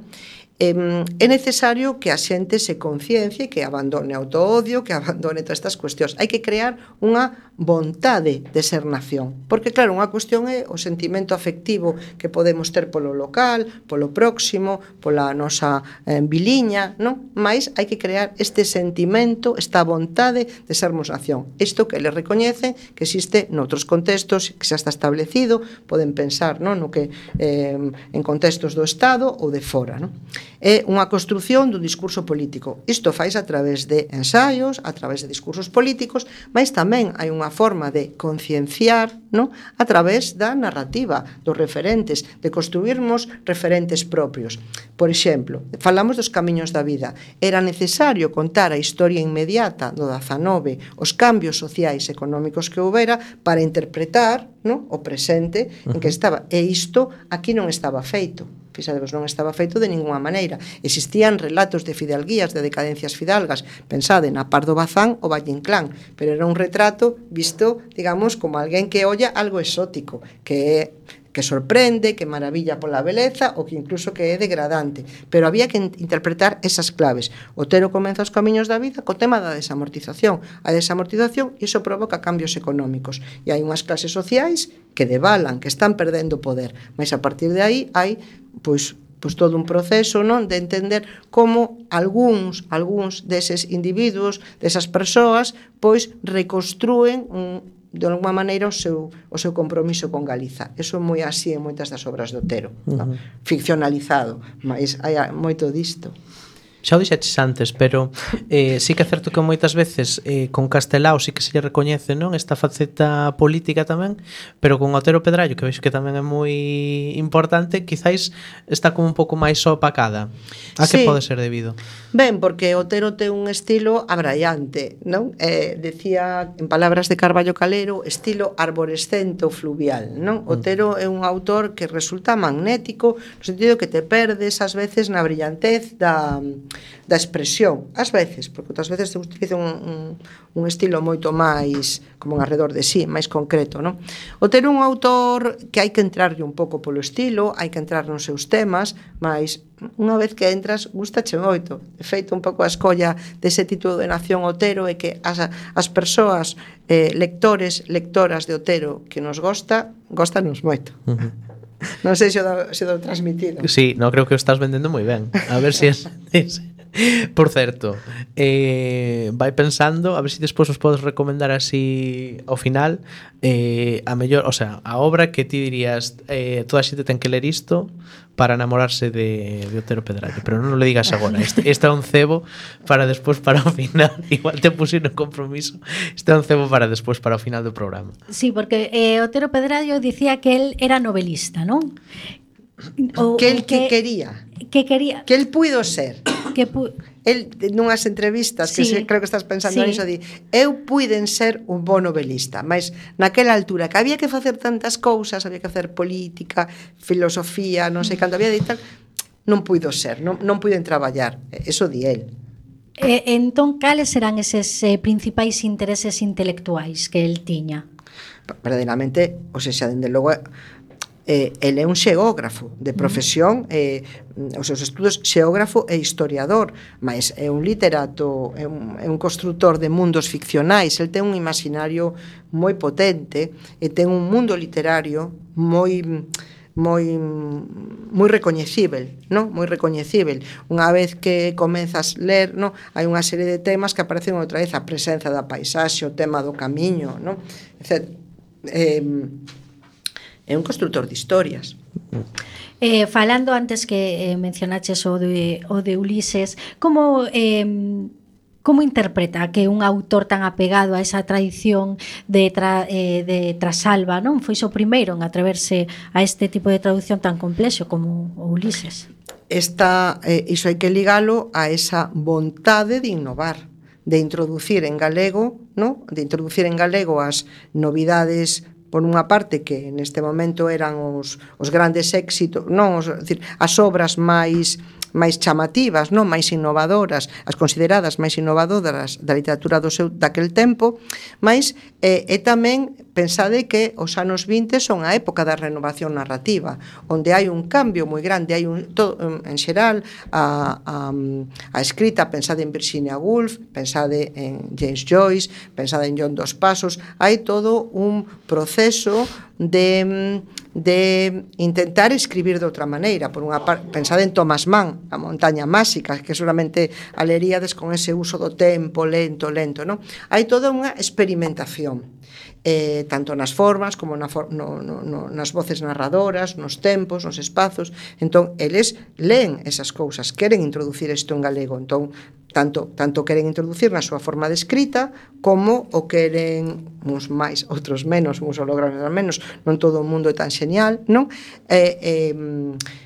E: É necesario que a xente se conciencie, que abandone o autoodio, que abandone todas estas cuestións. Hai que crear unha vontade de ser nación. Porque, claro, unha cuestión é o sentimento afectivo que podemos ter polo local, polo próximo, pola nosa viliña, non? Mais hai que crear este sentimento, esta vontade de sermos nación. Isto que eles recoñecen que existe noutros contextos, que xa está establecido, poden pensar, non? No que en contextos do Estado ou de fora, non? É unha construción dun discurso político. Isto fais a través de ensaios, a través de discursos políticos, mas tamén hai unha forma de concienciar, no? A través da narrativa, dos referentes, de construirmos referentes propios. Por exemplo, falamos dos camiños da vida. Era necesario contar a historia inmediata do 19, os cambios sociais e económicos que houbera para interpretar, no? O presente en que estaba. E isto aquí non estaba feito. Fixadevos, non estaba feito de ninguna maneira. Existían relatos de fidalguías, de decadencias fidalgas, pensade na Pardo Bazán ou Valle Inclán, pero era un retrato visto, digamos, como alguén que olla algo exótico, que sorprende, que maravilla pola beleza ou que incluso que é degradante, pero había que interpretar esas claves. Otero comeza os camiños da vida co tema da desamortización. A desamortización, iso provoca cambios económicos e hai unhas clases sociais que devalan, que están perdendo poder, mas a partir de aí hai pois todo un proceso, non, de entender como algúns deses individuos, desas persoas, pois reconstrúen de alguma maneira o seu compromiso con Galiza. Eso é moi así en moitas das obras de Otero, no? Ficcionalizado, mas hai moito disto.
B: Xa o dixeches antes, pero sí que é certo que moitas veces con Castelao sí que se lle recoñece, non, esta faceta política tamén, pero con Otero Pedrallo, que vexo que tamén é moi importante, quizáis está como un pouco máis opacada. A que pode ser debido?
E: Ben, porque Otero ten un estilo abraiante, non? Decía, en palabras de Carballo Calero, estilo arborescente ou fluvial, non? Otero é un autor que resulta magnético, no sentido que te perdes ás veces na brillantez da expresión, ás veces, porque outras veces se utiliza un estilo moito máis como un arredor de sí, máis concreto, non? Otero é un autor que hai que entrarlle un pouco polo estilo, hai que entrar nos seus temas, mas unha vez que entras, gustache moito. De feito, un pouco a escolla dese título de Nación Otero é que as persoas, lectoras de Otero que nos góstanos moito. Non sei se o dou transmitido.
B: Sí, no, creo que o estás vendendo moi ben. A ver se es... Por certo, vai pensando, a ver se despois os podes recomendar así ao final, a mellor, o sea, a obra que ti dirías, toda a xente ten que ler isto para enamorarse de Otero Pedrallo, pero non le digas agora. Este é un cebo para despois, para o final. Igual te pusieron compromiso. Este é un cebo para despois, para o final do programa.
C: Sí, porque Otero Pedrallo dicía que él era novelista, non?
E: Que el que quería.
C: Que quería.
E: Que el puido ser. el nunhas entrevistas que
C: Sí.
E: creo que estás pensando
C: Sí.
E: niso, di, eu puiden ser un bo novelista, mas naquela altura que había que facer tantas cousas, había que facer política, filosofía, non sei canto había de tal, non puido ser, non puiden traballar, eso di el.
C: Entón, cales serán eses principais intereses intelectuais que el tiña?
E: Verdadeiramente, o sea, dende logo ele é un xeógrafo de profesión, os seus estudos xeógrafo e historiador, mas é un literato, é un constructor de mundos ficcionais, el ten un imaginario moi potente e ten un mundo literario moi recoñecível, non? Moi recoñecível. Unha vez que comezas a ler, non? Hai unha serie de temas que aparecen outra vez, a presenza da paisaxe, o tema do camiño, non? É un constructor de historias.
C: Falando antes que mencionaches o de Ulises, como interpreta que un autor tan apegado a esa tradición de Trasalba, non? Foi o primeiro en atreverse a este tipo de traducción tan complexo como o Ulises.
E: Iso hai que ligalo a esa vontade de innovar, de introducir en galego, non? De introducir en galego as novidades, por unha parte que neste momento eran os grandes éxitos, non, decir, as obras máis chamativas, non, máis innovadoras, as consideradas máis innovadoras da literatura daquel tempo, mas é tamén pensade que os anos 20 son a época da renovación narrativa, onde hai un cambio moi grande, hai en xeral a escrita, pensade en Virginia Woolf, pensade en James Joyce, pensade en John Dos Passos, hai todo un proceso de intentar escribir de outra maneira. Por unha parte, pensade en Thomas Mann, A montaña máxica, que seguramente a leríades con ese uso do tempo lento, non? Hai toda unha experimentación, tanto nas formas como nas voces narradoras, nos tempos, nos espazos. Entón, eles leen esas cousas, queren introducir isto en galego. Entón, tanto queren introducir na súa forma de escrita como o queren uns máis, outros menos, uns o logran menos, non todo o mundo é tan xenial, non?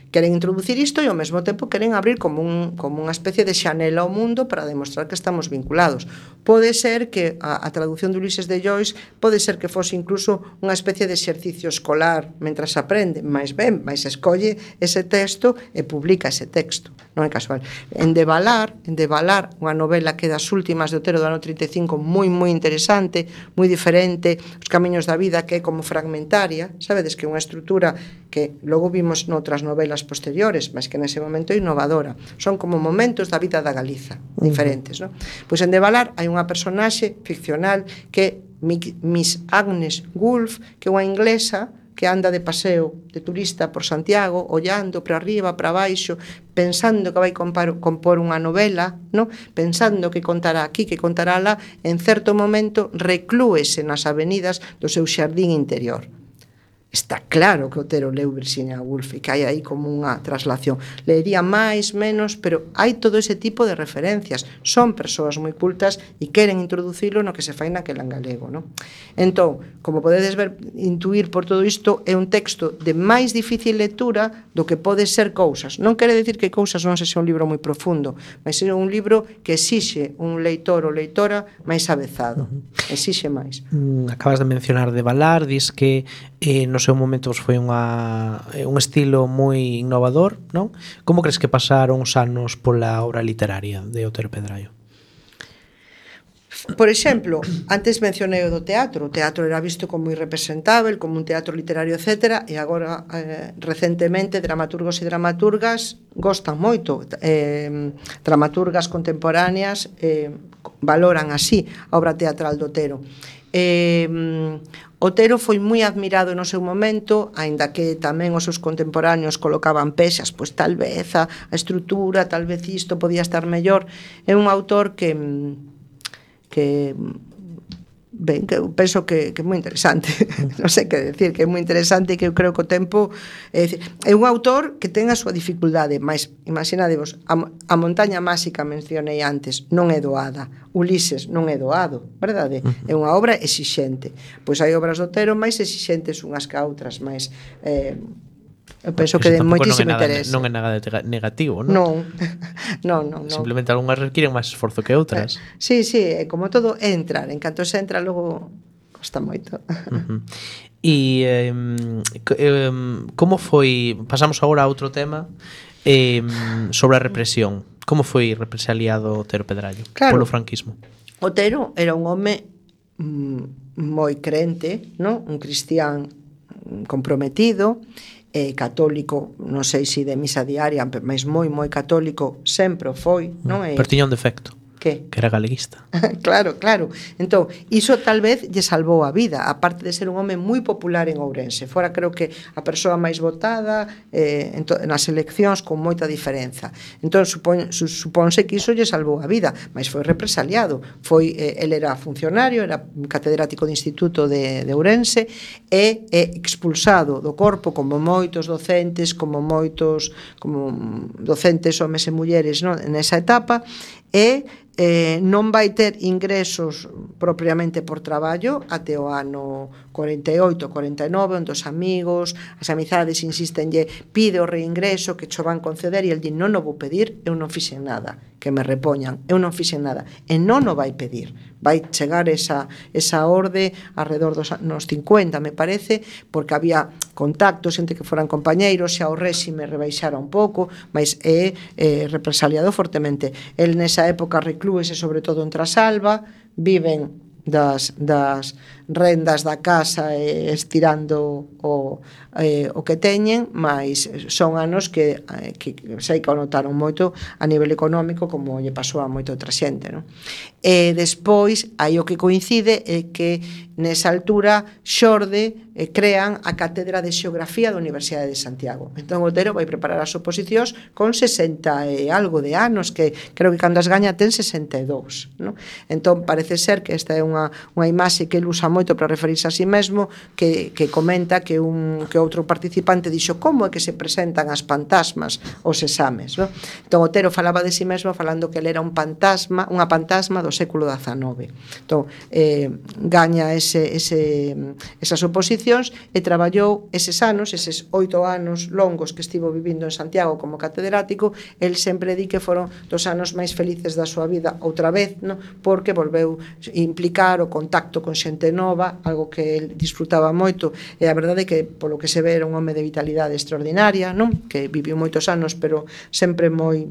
E: Queren introducir isto e ao mesmo tempo queren abrir como unha especie de xanela ao mundo para demostrar que estamos vinculados. Pode ser que a traducción de Ulises de Joyce pode ser que fose incluso unha especie de exercicio escolar mentras aprende, mais escolle ese texto e publica ese texto, non é casual. En Devalar, unha novela que das últimas de Otero do ano 35, moi interesante, moi diferente, Os camiños da vida, que é como fragmentaria, sabedes que é unha estrutura que logo vimos noutras novelas posteriores, mas que nese momento é innovadora. Son como momentos da vida da Galiza, diferentes, non? Pois en Devalar hai unha personaxe ficcional que é Miss Agnes Woolf, que é unha inglesa que anda de paseo, de turista por Santiago, ollando para arriba, para baixo, pensando que vai compor unha novela, non? Pensando que contará aquí, que contará lá, en certo momento reclúese nas avenidas do seu xardín interior. Está claro que Otero leu Virginia Woolf e que hai aí como unha traslación. Leería máis, menos, pero hai todo ese tipo de referencias. Son persoas moi cultas e queren introducilo no que se fai naquela en galego, non? Entón, como podedes ver, intuir por todo isto, é un texto de máis difícil lectura do que pode ser Cousas. Non quere decir que Cousas non sexa un libro moi profundo, mas é un libro que exixe un leitor ou leitora máis avezado. Exixe máis.
B: Acabas de mencionar Devalar, dis que no seu momento foi un estilo moi innovador, non? Como crees que pasaron os anos pola obra literaria de Otero Pedraio?
E: Por exemplo, antes mencionei o do teatro. O teatro era visto como irrepresentável, como un teatro literario, etc. E agora, recentemente, dramaturgos e dramaturgas gostan moito. Dramaturgas contemporáneas valoran así a obra teatral do Otero. Otero foi moi admirado no seu momento, aínda que tamén os seus contemporáneos colocaban pexas, pois tal vez a estrutura, tal vez isto podía estar mellor. É un autor que eu penso que é moi interesante. Non sei que decir, que é moi interesante e que eu creo que o tempo é un autor que ten a súa dificultade, mas imaginadevos, a montaña máxica mencionei antes, non é doada. Ulises non é doado, verdade? É unha obra exixente. Pois hai obras do Otero máis exixentes unhas que outras, máis Eu penso
B: Iso
E: que de
B: tampouco
E: moitísimo
B: non é nada,
E: interés.
B: non é nada negativo, non?
E: Non.
B: Simplemente algunhas requiren máis esforzo que outras.
E: Sí, como todo é entrar, en canto se entra logo costa moito.
B: E como foi, pasamos agora a outro tema, sobre a represión. Como foi represaliado Otero Pedrallo polo franquismo?
E: Otero era un home moi crente, non? Un cristián comprometido, católico, non sei se de misa diaria, mas moi católico sempre foi, non?
B: Pero tiña un defecto.
E: Que?
B: Que era galeguista.
E: Claro. Entón, iso tal vez lle salvou a vida, aparte de ser un home moi popular en Ourense. Fora, creo que a persoa máis votada nas eleccións con moita diferenza. Entón, supónse que iso lle salvou a vida, mas foi represaliado. El era funcionario, era catedrático de instituto de Ourense e expulsado do corpo como moitos docentes, como docentes homes e mulleres, non? Nesa etapa, e non vai ter ingresos propiamente por traballo até o ano 48, 49, onde os amigos, as amizades insistenlle, pide o reingreso que cho van conceder, e el di, non o vou pedir, eu non fixen nada, que me repoñan, eu non fixen nada, e non o vai pedir. Vai chegar esa orde alrededor dos anos 50, me parece, porque había contactos entre que foran compañeiros, xa o réxime rebaixara un pouco, mas é represaliado fortemente. El nesa época reclúese sobre todo en Trasalba, viven das rendas da casa estirando o que teñen, mas son anos que sei que o notaron moito a nivel económico, como lle pasou a moita outra xente, non? E despois, aí o que coincide é que nesa altura xorde crean a Cátedra de Xeografía da Universidade de Santiago. Entón Otero vai preparar as oposicións con 60 e algo de anos, que creo que cando as gaña ten 62, non? Entón parece ser que esta é unha imaxe que ele usa moito para referirse a si mesmo, que comenta que outro participante dixo como é que se presentan as fantasmas aos exames, non? Entón Otero falaba de si mesmo falando que ele era unha fantasma do século XIX. Entón gaña esas oposicións e traballou eses anos, eses 8 anos longos que estivo vivindo en Santiago como catedrático. El sempre di que foron dos anos máis felices da súa vida outra vez, non? Porque volveu implicar o contacto con xente nova, algo que el disfrutaba moito, e a verdade é que polo que se ve era un home de vitalidade extraordinaria, non? Que viviu moitos anos, pero sempre moi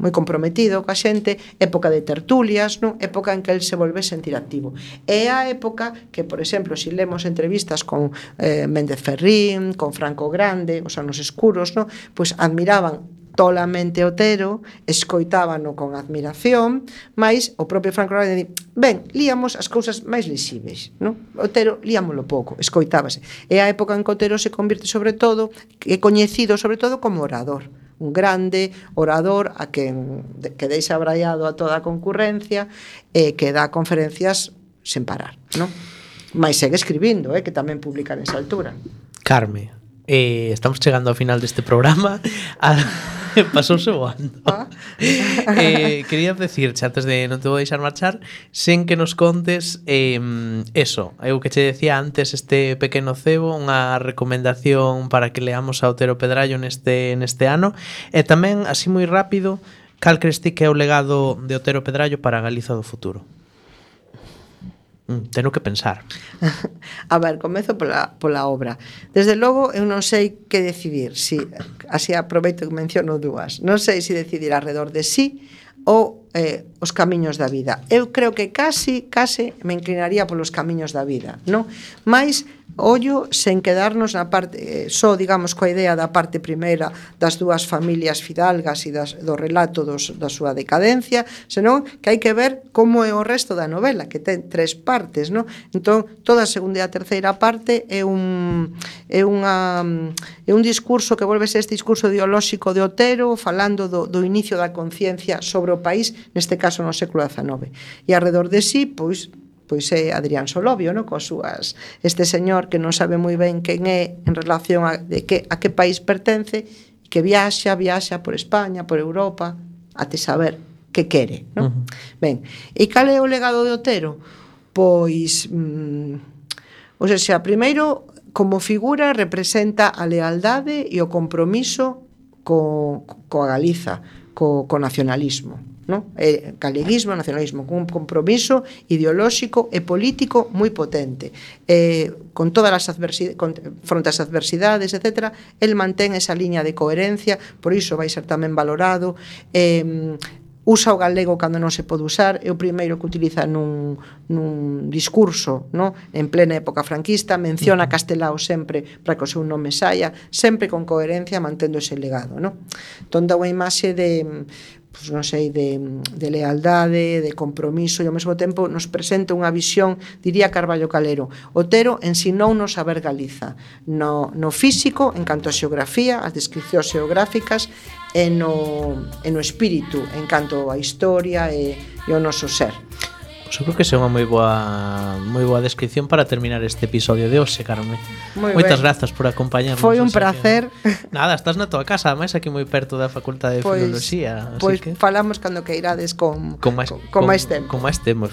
E: comprometido coa xente, época de tertulias, non? Época en que el se volve sentir activo. É a época que, por exemplo, se lemos entrevistas con Méndez Ferrín, con Franco Grande, os anos escuros, non? Pois admiraban tolamente Otero, escoitábano con admiración, mas o propio Franco Grande di, ben, líamos as cousas máis lixíveis, non? Otero líamolo pouco, escoitábase. É a época en que Otero se convirte sobre todo, é coñecido sobre todo como orador, un grande orador a que deixa abraiado a toda a concurrencia e que dá conferencias sen parar, non? Mas segue escribindo, que tamén publica nesa altura.
B: Carme, estamos chegando ao final deste programa. Pasouse voando. Quería decirche, antes de non te vou deixar marchar, sen que nos contes eso, eu que che decía antes, este pequeno cebo, unha recomendación para que leamos a Otero Pedrallo neste ano, e tamén, así moi rápido, cal crees ti que é o legado de Otero Pedrallo para a Galiza do futuro? Teno que pensar.
E: A ver, comezo pola obra. Desde logo, eu non sei que decidir. Así aproveito que menciono dúas. Non sei se decidir alrededor de sí ou os camiños da vida. Eu creo que case me inclinaría polos camiños da vida, non? Mais ollo sen quedarnos na parte digamos, coa idea da parte primeira das dúas familias fidalgas e do relato da súa decadencia, senón que hai que ver como é o resto da novela, que ten 3 partes, non? Entón, toda a segunda e a terceira parte é un discurso que volve ser este discurso ideolóxico de Otero, falando do inicio da conciencia sobre o país, neste caso no século XIX. E alrededor de sí, pois é Adrián Solovio, no? Coas súas, este señor que non sabe moi ben quen é en relación a que país pertence, que viaxa por España, por Europa, até saber que quere, no? Ben, e cal é o legado de Otero? Pois, primeiro, como figura representa a lealdade e o compromiso coa Galiza, co nacionalismo, no? Galeguismo, nacionalismo, con un compromiso ideolóxico e político moi potente. Con todas as fronte ás adversidades, etc., el mantén esa liña de coherencia, por iso vai ser tamén valorado. Usa o galego cando non se pode usar, é o primeiro que utiliza nun discurso, no? En plena época franquista, menciona Castelao sempre para que o seu nome saia, sempre con coherencia, mantendo ese legado, no? Entón dá unha imaxe de, pues, non sei, de lealdade, de compromiso, e ao mesmo tempo nos presenta unha visión, diría Carballo Calero, Otero ensinounos a ver Galiza no físico, en canto a xeografía, as descripcións xeográficas, e no espírito, en canto a historia e o noso ser.
B: Pois eu creo que é unha moi boa descripción para terminar este episodio de hoxe, Carmen. Moitas grazas por acompañarnos.
E: Foi un placer.
B: Nada, estás na tua casa, ademais aquí moi perto da Facultade de Filoloxía.
E: Pois falamos cando queirades con máis tempo.
B: Con máis tempo,